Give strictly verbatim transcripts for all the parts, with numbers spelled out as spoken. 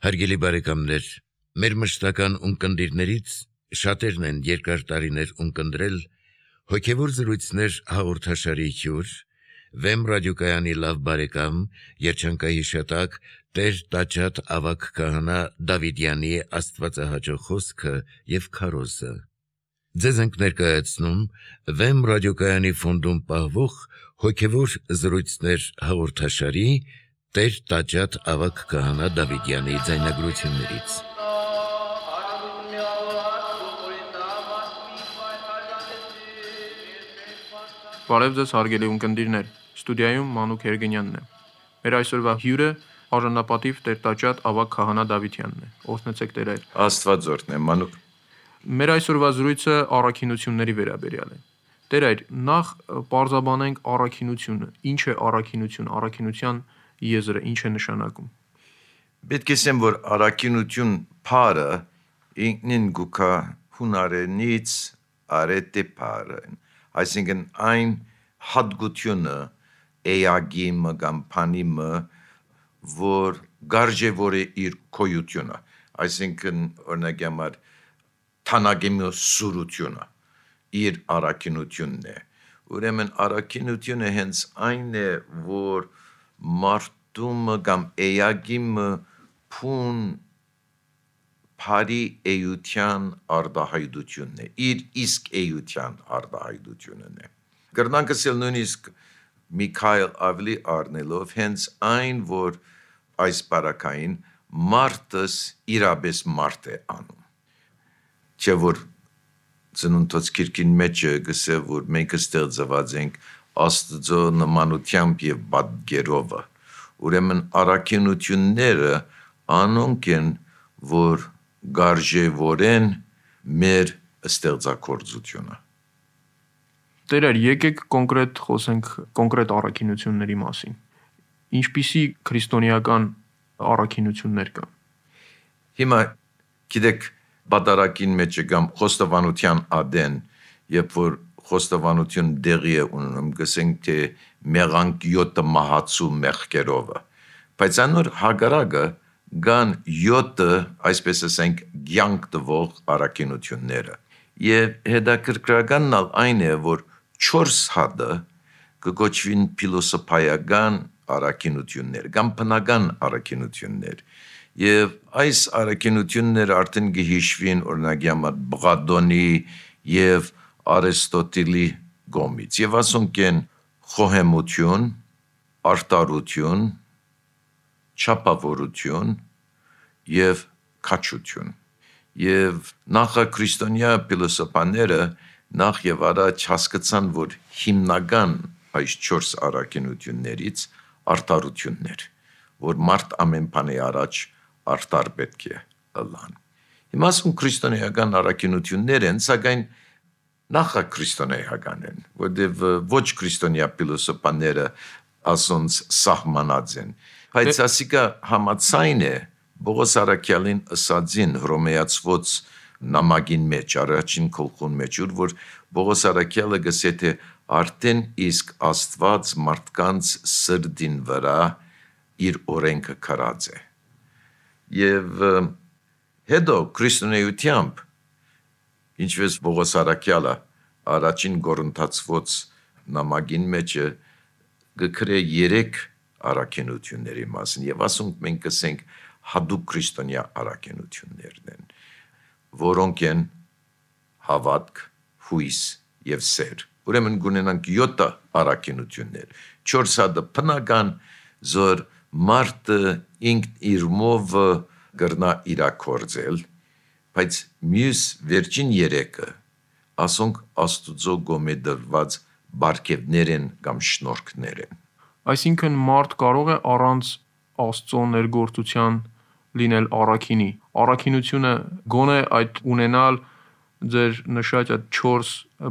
Հարգելի բարեկամներ, մեր մշտական ունկնդիրներից շատերն են երկար տարիներ ունկնդրել հոգևոր զրույցներ հաղորդաշարի հյուր, Վեմ ռադիոկայանի լավ բարեկամ, երջանկահիշատակ Տեր Տաճատ ավագ քահանա Դավիդյանի աստվածահաճո խոսքը և քարոզը։ Ձեզ ենք ներկայացնում Վեմ ռադիոկայանի ֆոնդում պահվող հոգևոր զրույցներ հաղորդաշարի Տեր Տաճատ ավագ քահանա Դավիդյանի ձայնագրություններից։ Բարև ձեզ հարգելի ունկնդիրներ, ստուդիայում Մանուկ Երգենյանն է։ Մեր այսօրվա հյուրը արժանապատիվ Տեր Տաճատ ավագ քահանա Դավիդյանն է։ Օրհնեցեք Տեր այր։ Աստված օրհնե Մանուկ։ Մեր այսօրվա զրույցը առաքինությունների վերաբերյալ է։ Տեր այր, նախ պարզաբանենք առաքինությունը։ Ինչ է առաքինություն, առաքինության եզրը ինչ է նշանակում։ Պետք է ասեմ, որ առաքինություն բառը ինքնին գուքա հունարենից արետե բառը, այսինքն այն հատկությունը էագիմը կամ բանիմը, որ գարժևոր է իր քոյությունը, այսինքն օրինակ համար թանագեմի սուրությունը իր առաքինությունն է։ Ուրեմն առաքինությունը հենց այն է, որ մարդումը կամ էագիմը փուն բարի էության արտահայտությունն է, իր իսկ էության արտահայտությունն է։ Կրնանք ասել նույնիսկ Միքայել ավելի առնելով հենց այն, որ այս բարակային մարդս իրապես մարդ է անում։ Չէ որ ծնունդոց քիրքին մեջ գսե, որ մենք ստեղծված ենք Աստծո նմանությամբ և պատկերով։ Ուրեմն առաքինությունները անոնք են, որ գարժևորեն մեր ստեղծագործությունը։ Տեր այր, եկեք կոնկրետ խոսենք կոնկրետ առաքինությունների մասին։ Ինչպիսի քրիստոնեական առաքինություններ կան։ Հիմա գիտեք բادرակին մեջ կամ խոստովանության ադեն, երբ որ խոստովանություն դեղի է ունենում, գսենք թե մեղանք յոթը մահացու մեղքերով, բայց անոր հագարակը կան յոթը, այսպես ասենք, կյանք տվող առաքինությունները։ Եվ հետաքրքրականն այն է, որ չորս հատը կկոչվին փիլոսոփայական առաքինություններ կամ բնական առաքինություններ։ Եվ այս առաքինությունները արդեն կհիշվին օրինակ համար Պլատոնի և Արիստոտելի կողմից, եւ ասոնք են խոհեմություն, արտարություն, չափավորություն եւ քաջություն։ Եվ նախաքրիստոնյա փիլիսոփաները նախ եւ առաջ հասկացան, որ հիմնական այս չորս առաքինություններից արտարությունն էր, որ մարդ ամեն բանի առաջ արտար պետք է լան։ Հիմա ասում քրիստոնեական առաքինություններ են, սակայն նախաքրիստոնեական են, որտեղ ոչ քրիստոնյա փիլիսոփաները ասոնց սահմանած են, բայց ասիկա համաձայն է Պողոս առաքյալին ըսածին Հռոմեացված նամակին մեջ, առաջին գլխուն մեջ, որ Պողոս առաքյալը գսե թե արդեն իսկ Աստված մարդկանց սրտին վրա իր օրենքը քարած է։ Եվ հետո քրիստոնեությամբ, ինչպես Պողոս առաքյալը առաջին Կորինթացված նամակին մեջ գկրե երեք առաքինությունների մասին, եւ ասենք մենք կսենք հատուկ քրիստոնյա առաքինություններն են, որոնք են հավատք, հույս եւ սեր։ Ուրեմն գունենանք յոթ առաքինություններ, չորս հատը բնական, զոր մարդը ինքն իր մով կրնա իրագործել, բայց մյուս վերջին երեքը ասոնք Աստուծո կողմէ դրված բարգեւներ են կամ շնորհքներ են։ Այսինքն մարդ կարող է առանց Աստծո ներգործության լինել առաքինի։ Առաքինությունը գոնե այդ ունենալ ձեր նշած այդ չորս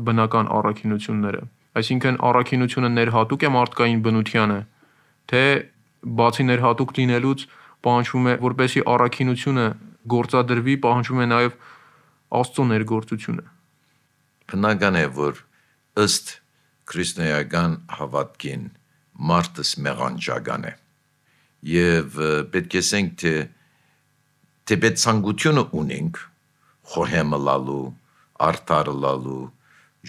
բնական առաքինությունները։ Այսինքն առաքինությունը ներհատուկ է մարդկային բնությանը, թե բացի ներհատուկ լինելուց պահանջվում է, որպեսզի առաքինությունը գործադրվի, պահանջվում է նաև Աստծո ներգործությունը։ Բնական է, որ ըստ քրիստոնեական հավատքին մարդս մեղանջական է։ Եվ պետք է ասենք, թե թե պետք ցանկությունը ունենք խոհեմը լալու, արդարը լալու,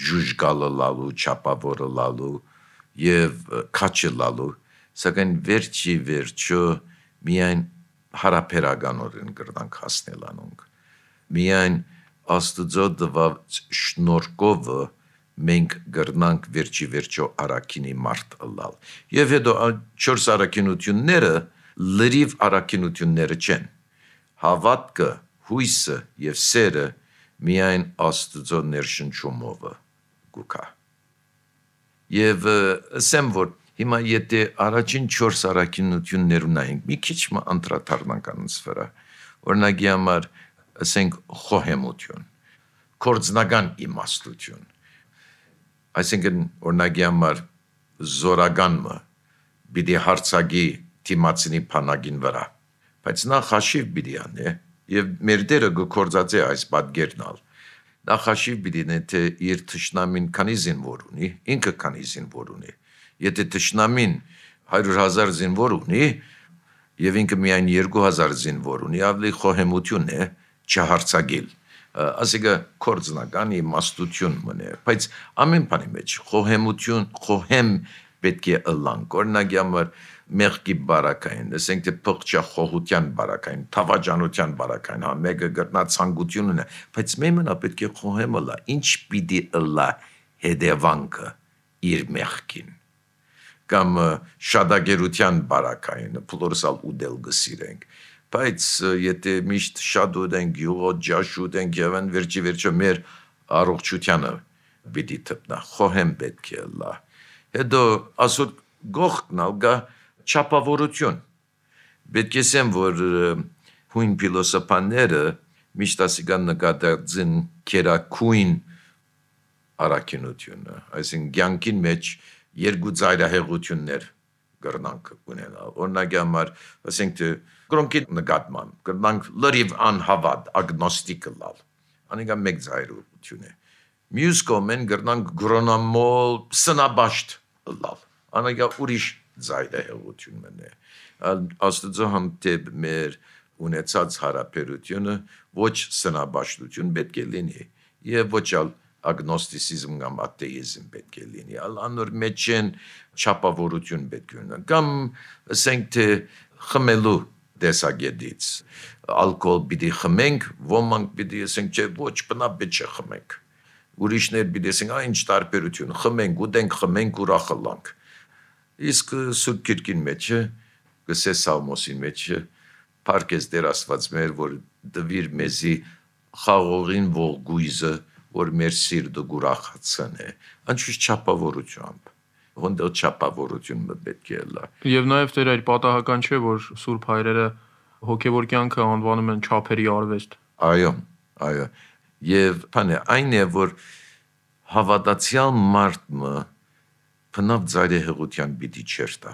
ժուժգալը լալու, չափավորը լալու եւ քաչը լալու, սակայն վերջի վերջո միայն հարաբերականորեն կրնանք հասնել անոնք։ Միայն Աստուծո տված շնորհքով մենք կրնանք վերջի վերջո առաքինի մարդ ըլլալ։ Եվ հետո չորս առաքինությունները լրիվ առաքինությունները չեն։ Հավատքը, հույսը եւ սերը միայն Աստուծո ներշնչումով գուկա։ Եվ ասեմ, որ հիմա եթե առաջին չորս առաքինություններ ունենք, մի քիչ մը անդրադառնանք անց վրա, օրինակի համար ասենք խոհեմություն, կորձնական իմաստություն, այսինքն օրինակի համար զորագանը պիտի հարցակի թիմացինի փանագին վրա, բայց նա խաշիվ պիտի անի եւ մեր դերը գործածե այս պատգերնալ, նա խաշիվ պիտի անի թե իր թշնամին քանի զինվոր ունի, ինքը քանի զինվոր ունի, եթե թշնամին հարյուր հազար զինվոր ունի եւ ինքը միայն երկու հազար զինվոր ունի, ավելի խոհեմություն է չհարցակել, ասիկա կորձնական իմաստություն մնե, բայց ամեն բանի մեջ խոհեմություն, խոհեմ պետք է ըլլանք, օրինակի համար մեղքի բարակային, ասենք թե փղճախոհության բարակային, թավաջանության բարակային, հա մեկը գտնա ցանկություն ունի, բայց մեմնա պետք է խոհեմը լա, ինչ պիտի ըլլա հետևանքը իր մեղքին, կամ շադագերության բարակային, փլորսալ ուդել գսիրենք, բայց եթե միշտ շատ ուտենք, յուղոտ ջաշ ուտենք եւ այն վերջի վերջո մեր առողջությանը պիտի թփնա, խոհեմ պետք է լա, հետո ասոտ գողքնալ գա չափավորություն, պետք է ասեմ, որ հույն փիլոսոփաները միշտ ասիկան նկատեցին քերակույն առաքինությունը, այսինքն կյանքին մեջ երկու ծայրահեղություններ կրնանք ունենալ, օրինակի համար ասենք թե կրոնքի նկատմամբ, կրնանք լրիվ անհավատ, ագնոստիկ լալ, անիկա մեկ ծայրահեղություն է, մյուս կողմեն կրնանք գրոնամոլ սնաբաշտ լալ, անիկա ուրիշ ծայրահեղություն մնե, Աստծո հանդեպ մեր ունեցած հարաբերությունը ոչ սնաբաշտություն պետք է լինի եւ ոչ ալ ագնոստիցիզմ կամ աթեիզմ պետք է լինի, անոր մեջ են չափավորություն պետք է ունենա, կամ ասենք թե խմելու տեսակետից, ալկոհոլ պիտի խմենք, ոմանք պիտի ասենք չէ, ոչ բնապետ չէ խմենք, ուրիշներ պիտի ասենք, այն ինչ տարբերություն, խմենք, ուտենք, խմենք, ուրախ ըլլանք, իսկ Սուրբ Գիրքին մեջ է, գսե Սաղմոսին մեջ է, փառքես Տեր Աստված մեր, որ դվիր մեզի խաղողին ողգույզը, որ մեր սիրտը ուրախացն է, անշուշտ չափավորությամբ, հոնդել չափավորությունը պետք է լա։ Եվ նաև Տեր այդ պատահական չէ, որ Սուրբ հայրերը հոգևոր կյանքը անվանում են չափերի արվեստ։ Այո, այո, եւ բանը այն է, որ հավատացյալ մարդը բնավ ծայրահեղության պիտի չերտա,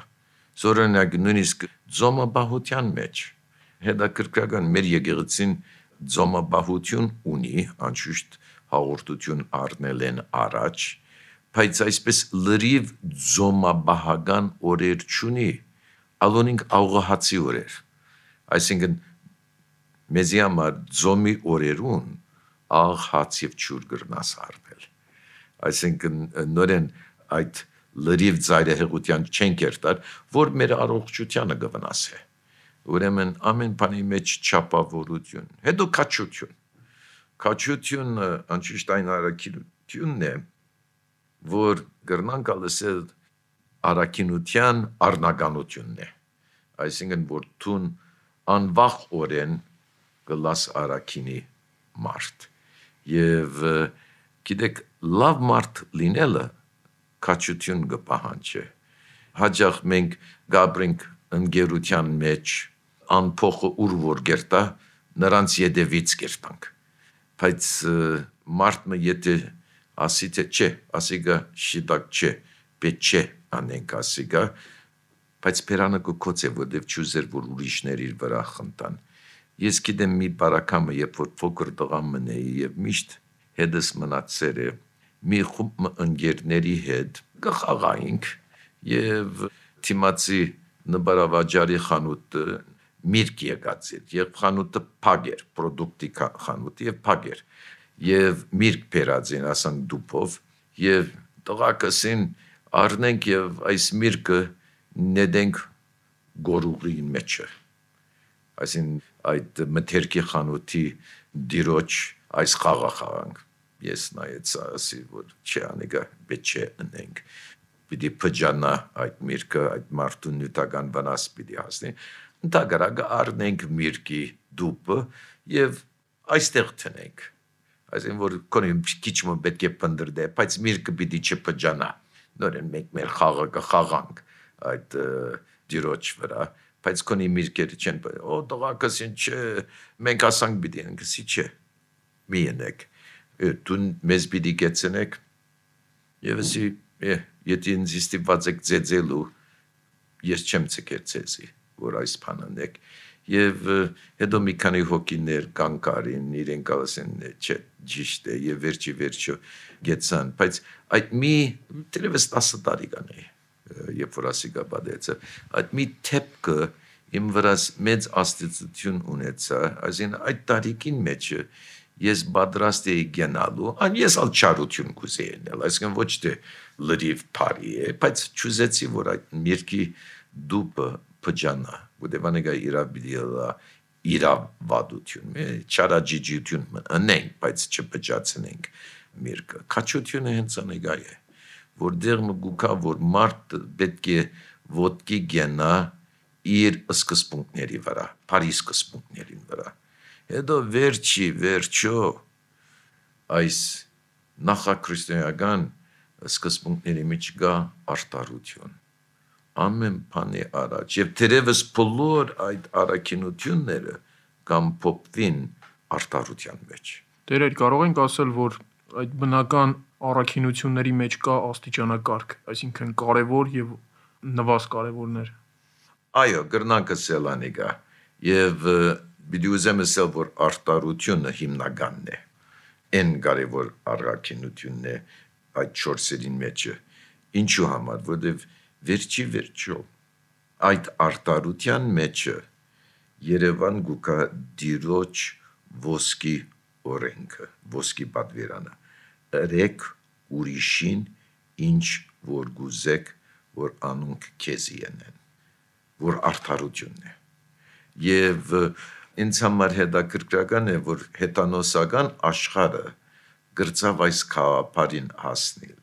զորոնակ նույնիսկ ձոմաբահության մեջ, հետաքրքրական մեր եկեղեցին ձոմաբահություն ունի, անշուշտ հաղորդություն առնել են առաջ, բայց այսպես լրիվ ձոմաբահական օրեր չունի, ալոնինք աղոհացի օրեր, այսինքն մեզի համար ձոմի օրերուն աղ հաց եւ ջուր գրնաս առնել, այսինքն նորեն այդ լրիվ ծայրահեղության չեն կերտար, որ մեր առողջությանը կվնասի, ուրեմն ամեն բանի մեջ չափավորություն, հետո քաչություն, քաչությունը անշուշտ այն առաքինությունն է, որ կրնանք ասել առաքինության առնականությունն է, այսինքն որ տուն անվախ օրեն կլաս առաքինի մարդ, եւ գիտեք լավ մարդ լինելը քաչություն կպահանջի, հաճախ մենք գաբրենք ընկերության մեջ, անփոխը ուր որ գերտա, նրանց ետևից գերտանք, բայց մարդը եթե ասի թե չէ, ասիգա շիտակ չէ, պետք չէ անենք ասիգա, բայց պերանը կոծե, որտև չուզեր, որ ուրիշներ իր վրա խնդան, ես գիտեմ մի բարակամը, երբ որ փոքր տղամն էի եւ միշտ հետս մնացեր է, մի խումբ ընկերների հետ կխաղայինք եւ թիմացի նբարավաճարի խանութը միրգ եկած էր, եւ խանութը փակ էր, պրոդուկտի խանութ եւ փակ էր, եւ միրգ բերած են ասանք դուփով, եւ տղակասին առնենք եւ այս միրգը նետենք գորուղի մեջը, այսին այդ մթերքի խանութի դիրոջ այս խաղը խաղանք, ես նայեցա ասի, որ չէ անիկա պետք չէ ընենք, պիտի պջանա այդ միրգը, այդ մարդու նյութական վնաս պիտի հասնի, ընդհակառակը առնենք միրգի դուպը եւ այստեղ տնենք, այսին որ կոնի քիչ մը պետք է փնդրդե, բայց միրգը պիտի չպջանա, նորեն մենք մեր խաղը կխաղանք այդ դիրոջ վրա, բայց կոնի միրգերը չեն, օ տղակասին չէ, մենք ասանք պիտի ընենք, սի չէ, մի ընենք, դու մեզ պիտի կեցնեք, եւ ասի Եթե ինձ ստիպված եք ձեձելու, ես չեմ ցկեր ձեզի, որ այս բանն եք, եւ հետո մի քանի հոգիներ կանգարին, իրենք ասեն, չէ, ճիշտ է, եւ վերջի վերջո գեցան, բայց այդ մի դերևս տասը տարեկան է, երբ որ ասիկա բադեցը, այդ մի թեփքը իմ վրաս մեծ աստիճություն ունեցա, այսին այդ տարիքին մեջը ես պատրաստ էի գնալու, ան ես ալ չարություն կուզեի ենել, այսինքն ոչ թե լրիվ բարի է, բայց չուզեցի, որ այդ միրգի դուպը փջանա, որտեղ անիկա իրավ պիտի լա իրավ վադություն, չարաջիջություն ընենք, բայց չփջացնենք միրգը, քաչությունը հենց անիկա է, որտեղ մգուկա, որ մարդ պետք է ոտքի գնա իր սկզբունքների վրա, բարի սկզբունքների վրա, հետո վերջի վերջո այս նախաքրիստոնեական սկզբունքների մեջ գա արտարություն, ամեն բանի առաջ, եւ թերևս բոլոր այդ առաքինությունները կամ փոփվին արտարության մեջ։ Տերեր, կարող ենք ասել, որ այդ բնական առաքինությունների մեջ կա աստիճանակարգ, այսինքն կարևոր եւ նվազ կարևորներ։ Այո, գրնակը սելանի գա, եւ Պիտի ուզեմ ասել, որ արտարությունը հիմնականն է, են կարևոր առաքինությունն է այդ չորսերին մեջը, ինչու համար, որտեվ վերջի վերջո այդ արտարության մեջը Երևան գուկա դիրոջ ոսկի օրենքը, ոսկի պատվիրանը, ըրեք ուրիշին ինչ որ գուզեք, որ անունք քեզի ենեն, որ արտարությունն է, եւ ինձ համար հետաքրքրական է, որ հետանոսական աշխարհը գրծավ այս խաղապարին հասնել,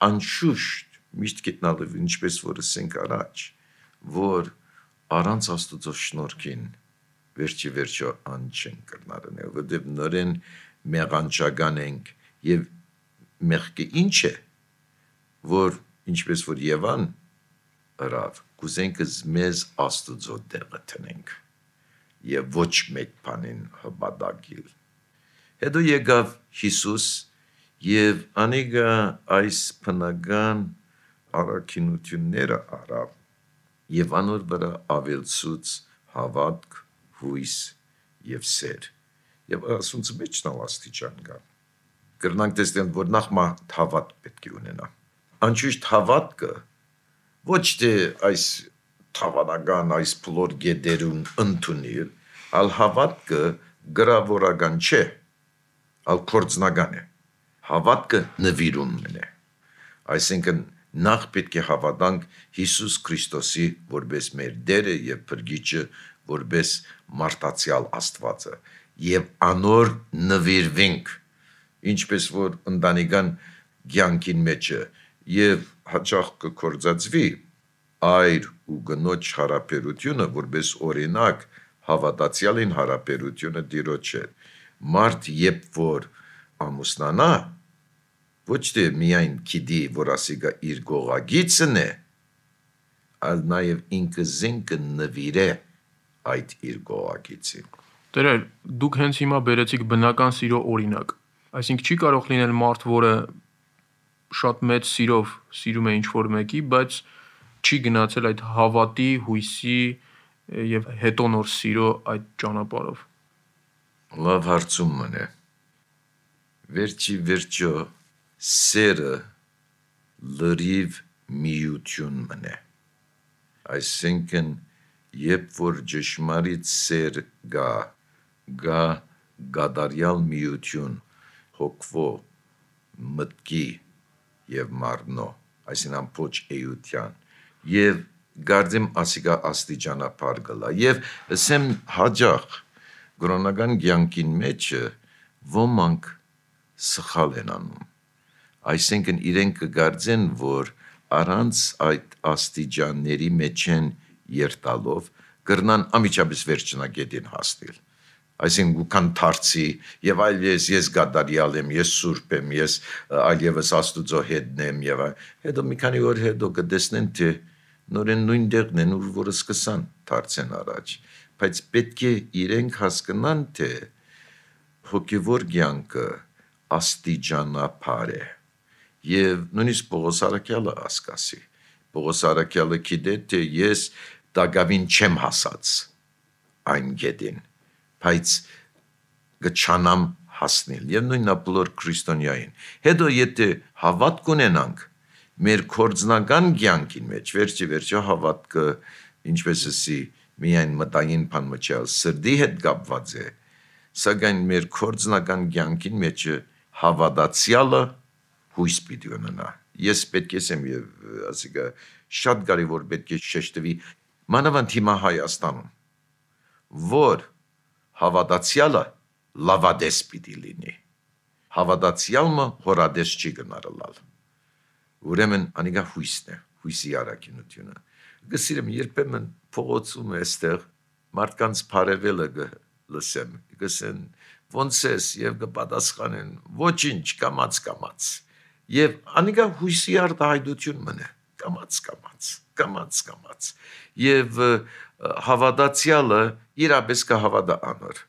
անշուշտ միշտ գտնալով ինչպես որ ասենք առաջ, որ առանց Աստծո շնորհքին վերջի վերջո ան չեն կրնարնել, որտեղ նորեն մեղանչական ենք եւ մեղքը ինչ է, որ ինչպես որ Եվան ըրավ, կուզենք մեզ Աստծո դեղը տնենք եւ ոչ մեկ բանին հպատակիլ։ Հետո եկավ Հիսուս եւ անիկա այս բնական առաքինությունները արավ եւ անոր վրա ավելցուց հավատք, հույս եւ սեր։ Եվ ասունց մեջ նավ աստիճան կա։ Կրնանք տեսնել, որ նախ մատ հավատ պետք է ունենա։ Անշուշտ հավատքը ոչ թե այս թավանական այս բոլոր գեդերուն ընդունիլ, ալ հավատքը գրավորական չէ, ալ կորձնական է, հավատքը նվիրումն է, այսինքն նախ պետք է հավատանք Հիսուս Քրիստոսի որպես մեր դերը և փրկիչը, որպես մարդացյալ Աստվածը, և անոր նվիրվենք, ինչպես որ ընտանեկան կյանքին մեջը, և հաճախ կկործածվի այր ու գնոջ հարաբերությունը, որպես օրինակ հավատացյալին հարաբերությունը Տիրոջ հետ, մարդ երբ որ ամուսնանա, ոչ թե միայն գիտի, որ ասիկա իր գողագիծն է, այլ նաև ինքը զինքը նվիրե այդ իր գողագիծին։ Տերեր, դուք հենց հիմա բերեցիք բնական սիրո օրինակ, այսինքն չի կարող լինել մարդ, որը շատ մեծ սիրով սիրում է ինչ-որ մեկի, բայց չի գնացել այդ հավատի, հույսի եւ հետո նոր սիրո այդ ճանապարհով։ Լավ հարցումն է։ Վերջի վերջո սերը լրիվ միություն մնե։ Այսինքն երբ որ ճշմարիտ սեր գա, գա գադարյալ միություն, հոգվո, մտքի եւ մարնո, այսինքն ամբողջ էության, եւ գարձեմ ասիգա աստիճանապար գլա, եւ ասեմ հաջող գրոնական կյանքին մեջը ոմանք սխալ են անում, այսինքն իրենք կգարձեն, որ առանց այդ աստիճանների մեջ են երտալով կրնան ամիջապես վերջնագետին հասնել, այսինքն կան թարցի եւ այլ ես ես գադարյալ եմ, ես սուրբ եմ, ես այլևս աստուծո հետն եմ եւ հետո մի քանի օր հետո կտեսնեն թե նորեն նույն տեղն են ուր որ սկսան թարցեն առաջ, բայց պետք է իրենք հասկանան թե հոգևոր կյանքը աստիճանապար է եւ նույնիսկ Պողոս Արաքյալը ասկասի Պողոս Արաքյալը գիտե թե ես դակավին չեմ հասած այն գետին բայց գչանամ հասնել եւ նույնն ապլոր քրիստոնյային հետո եթե հավատք ունենանք մեր կորձնական կյանքին մեջ վերջի վերջո հավատքը ինչպես ասի միայն մտային բան մչալ սրդի հետ կապված է սակայն մեր կորձնական կյանքին մեջ հավատացյալը հույս պիտի ունենա ես պետք է ասեմ եւ ասիկա շատ կարեւոր պետք է շեշտվի մանավանդ հիմա Հայաստանում որ հավատացյալը լավադես պիտի լինի հավատացյալը հորադես չի գնարլալ ուրեմն անիգա հույսն է հույսի առաքինությունը գսիրեմ երբեմն փողոցում էստեղ մարդկանց բարևելը լսեմ գսեն ոնց ես եւ կպատասխանեն ոչինչ կամած կամած եւ անիգա հույսի արտահայտություն մնա կամած կամած կամած կամած եւ հավատացյալը իրապես կհավատա անոր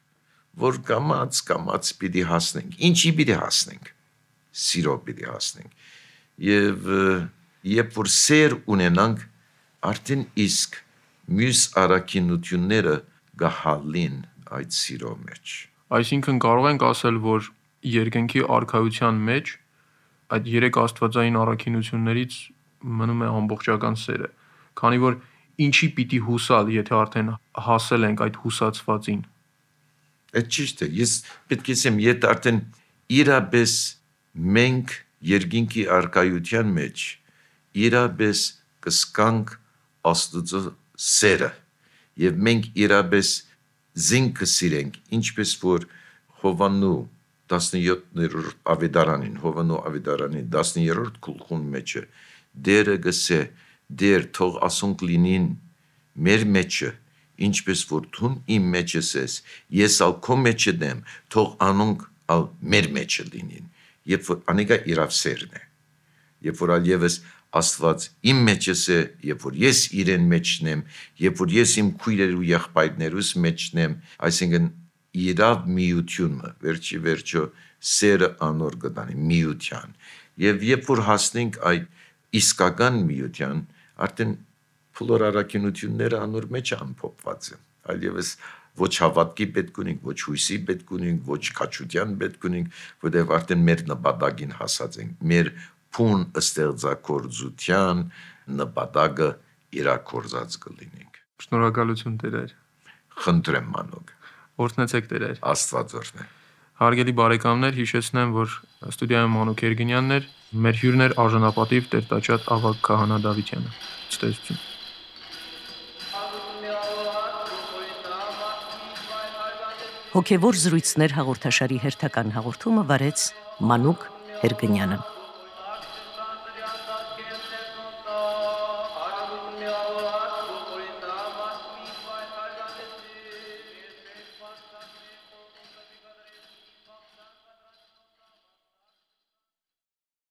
որ կամած կամած պիտի հասնենք ինչի պիտի հասնենք սիրո պիտի հասնենք եւ երբ որ սեր ունենանք արդեն իսկ մյուս առաքինությունները գահալին այդ սիրո մեջ այսինքն կարող ենք ասել որ երկնքի արքայության մեջ այդ երեք աստվածային առաքինություններից մնում է ամբողջական սերը քանի որ ինչի պիտի հուսալ եթե արդեն հասել ենք այդ հուսացվածին այդ ճիշտ է ես պետք է ասեմ եթե արդեն իրապես մենք երկինքի արքայության մեջ իրապես կսկանք աստուծո սերը եւ մենք իրապես զինքը սիրենք ինչպես որ Հովաննու տասնյոթերորդ ավետարանին Հովաննու ավետարանի տասներորդ գլխուն մեջը դերը գսե դեր թող ասոնք լինին մեր մեջը ինչպես որ դու իմ մեջս ես ես ալ քո մեջը դեմ թող անոնք ալ մեր մեջը լինին երբ որ անիկա իրավ սերն է երբ որ ալ եւս Աստված իմ մեջս է երբ որ ես իրեն մեջն եմ երբ որ ես իմ քույրերու եղբայրներուս մեջն եմ այսինքն իրավ միությունը վերջի վերջո սերը անոր գտանի միության եւ երբ որ հասնենք այդ իսկական միության արդեն փլոր առաքինությունները անոր մեջ ամփոփված են այլևս ոչ հավատքի պետք ունենք ոչ հույսի պետք ունենք ոչ քաչության պետք ունենք որտեղ արդեն մեր նպատակին հասած ենք մեր փուն ստեղծագործության նպատակը իրակորձած կլինենք շնորհակալություն Տեր խնդրեմ մանուկ օրհնեցեք Տեր Աստված օրհնե Հարգելի բարեկամներ հիշեցնեմ որ ստուդիայում Մանուկ Երգինյանն էր մեր հյուրն էր արժանապատիվ Տեր-Տաճար Ավագ Քահանա Դավթյանը ցտեսություն Հոգևոր զրույցներ հաղորդաշարի հերթական հաղորդումը վարեց Մանուկ Երգինյանը